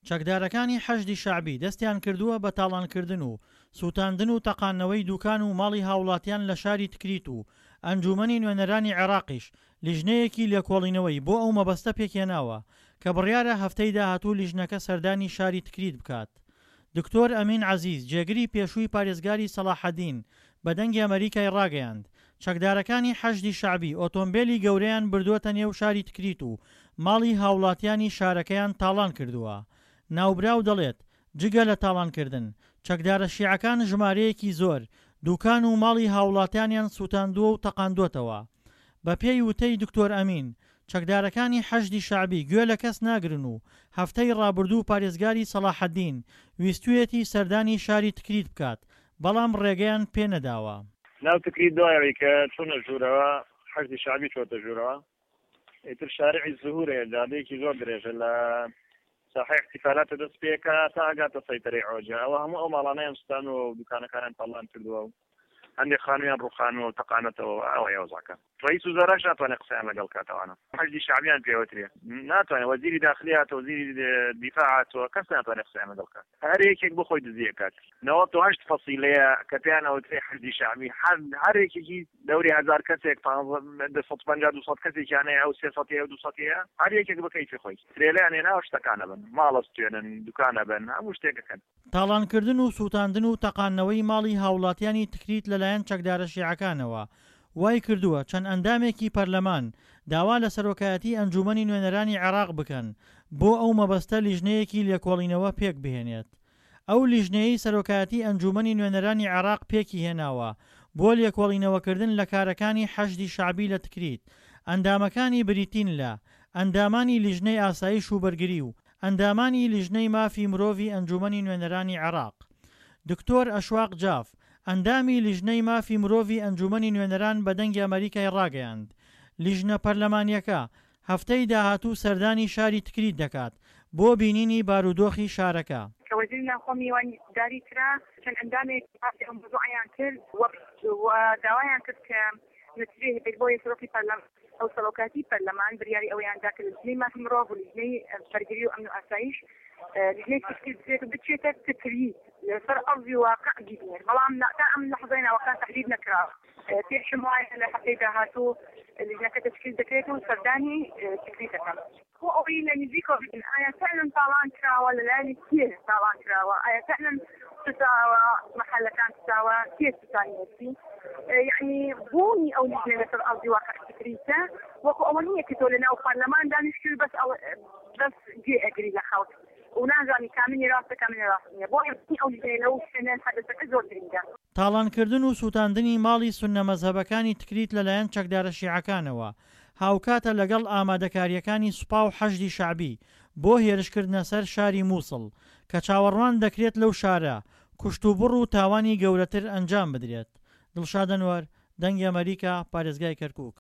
چەکدارەکانی حەشدی شەعبی دەستیان کردووە بە تاڵانکردن و سووتاندن و تەقاندنەوەی دووکان و ماڵی هاوڵاتیان لە شاری تکریت و ئەنجوومەنی نوێنەرانی عێراقیش لیژنەیەکی لێکۆڵینەوەی بۆ ئەو مەبەستە پێکهێناوە کە بڕیارە هەفتەی داهاتوو لیژنەکە سەردانی شاری تکریت بکات. دکتۆر ئەمین عەزیز جێگری پێشووی پارێزگاری سەڵاحەدین بە دەنگی ئەمەریکای ڕاگەیاند، چەکدارەکانی حەشدی شەعبی ئۆتۆمبێلی گەورەیان بردووەتە نێو شاری تکریت و ماڵی هاوڵاتیانی شارەکەیان تاڵان کردووە. ناوبراو دەڵێت، جگە لە تاڵانکردن، چەکدارە شیعەکان ژمارەیەکی زۆر دوکان و ماڵی هاوڵاتیانیان سوتاندووە و تەقاندووەتەوە. بەپێی وتەی دکتۆر ئەمین، چەکدارەکانی حەشدی شەعبی گوێ لە کەس ناگرن و هەفتەی ڕابردوو پارێزگاری سەڵاحەدین ویستویەتی سەردانی شاری تکریت بکات، بەڵام ڕێگەیان پێ نەداوە. ناو تکریت دوای ئەوەی کە چوونە ژوورەوە، حەشدی شەعبی چۆتە ژوورەوە، ئیتر شارعی زهور هەیە جادەیەکی زۆر درێژە لە ساحەی احتفالاتە دەست پێکا تا ئەگاتە سەیتەرەی عۆجە ئەوە هەموو ئەو ماڵانەیان سوتانوە و دوکانەکانیان تاڵان کردووە و هەندێک خانوویان ڕوخانووە و تەقانەتەوە ئەوەیە وەزعەکە ڕئیس وزەراش ناتوانێت قسەیان لەگەڵ کات ئەوانە حەشدی شەعبیان پێوەترێ ناتوانێت وەزیری داخلی هاتووە وەزیری دیفاع هاتووە کەس ناتوانێت قسەیان لەگەڵ کات هەر یەکێک بۆ خۆی دزی ئەکات. 98 فەسیلەیە کە پێیان ئەوترێ حەشدی شەعبی هەر هەر یەکێکی دەوری هەزار کەسێک پانزە 250 200 کەسێکیان هەیە ئەو 300 هەیە ئەو 200 هەیە هەر یەکێک بە کەیفی خۆی ترێلەیان هێناوە شتەکان ئەبەن ماڵ ئەستوێنن دوکان ئەبەن هەموو شتێک ئەکەن. تاڵانکردن و سووتاندن و تەقاندنەوەی ماڵی هاوڵاتیانی تکریت لەلایەن چەکدارە شیعەکانەوە وای کردووە چەند ئەندامێکی پەرلەمان داوا لە سەرۆکایەتی ئەنجوومەنی نوێنەرانی عێراق بکەن بۆ ئەو مەبەستە لیژنەیەکی لێکۆڵینەوە پێکبهێنێت. ئەو لیژنەیەی سەرۆکایەتی ئەنجوومەنی نوێنەرانی عێراق پێکیهێناوە بۆ لێکۆڵینەوەکردن لە کارەکانی حەشدی شەعبی لە تکریت، ئەندامەکانی بریتین لە، ئەندامانی لیژنەی ئاسایش و بەرگری و ئەندامانی لیژنەی مافی مرۆڤی ئەنجوومەنی نوێنەرانی عێراق. دکتۆر ئەشواق جاف، ئەندامی لیژنەی مافی مرۆڤی ئەنجوومەنی نوێنەران بە دەنگی ئەمەریکای ڕاگەیاند، لیژنە پەرلەمانییەکە هەفتەی داهاتوو سەردانی شاری تکریت دەکات بۆ بینینی بارودۆخی شارەکە. کە وەزیری ناوخۆ میوانداری کرا، چەند ئەندامێک باسی ئەو مەوزوعەیان کرد و داوایان کرد کە نەتیجەی هەبێت، بۆیە سەرۆکی پەرلەمان ئەو سەرۆکایەتی پەرلەمان بریاری ئەوەیان دا کە لیژنەی مافی مرۆڤ و لیژنەی بەرگری و ئەمن و ئاسایش لیژنەی تشکیل بکرێت و بچێتە تکریت لەسەر ئەرزی واقع بیبینێت، بەڵام تا ئەم لەحزەی ناوەکان تەحدید نەکراوە. پێشم وایە لە هەفتەی داهاتوو لیژنەکە تەشکیل دەکرێت و سەردانی تکریت دەکەن. بۆ ئەوەی لە نزیکەوە ببینن ئایا فعلا تاڵان کراوە، لەلایەنی کێ تاڵان کراوە، ئایا فعلا سوتاوە، مەحەلەکان سوتاوە، کێ سوتانیەتی. یەعنی بوونی ئەو لیژنە لەسەر ئەرزی واقع تکریتە وەکو ئەوە نییە کە تۆ لەناو پەرلەمان دانیشتووی بەس بەس گوێ ئەگری لە خەڵک و نازانی کامینی ڕاستە کامینی ڕاست نییە. بۆیە بوونی ئەو لیژنەیە لەو شوێنە حەدەسەکە زۆر گرنگە. تاڵانکردن و سوتاندنی ماڵی سوننە مەزهەبەکانی تکریت لەلایەن چەکدارە شیعەکانەوە، هاوکاتە لەگەڵ ئامادەکارییەکانی سوپا و حەشدی شەعبی بۆ هێرشکردنە سەر شاری موسڵ، کە چاوەڕوان دەکرێت لەو شارە کوشتوبڕ و تاوانی گەورەتر ئەنجام بدرێت. دڵشاد ئەنوەر، دەنگی ئەمەریکا، پارێزگای کەرکوک.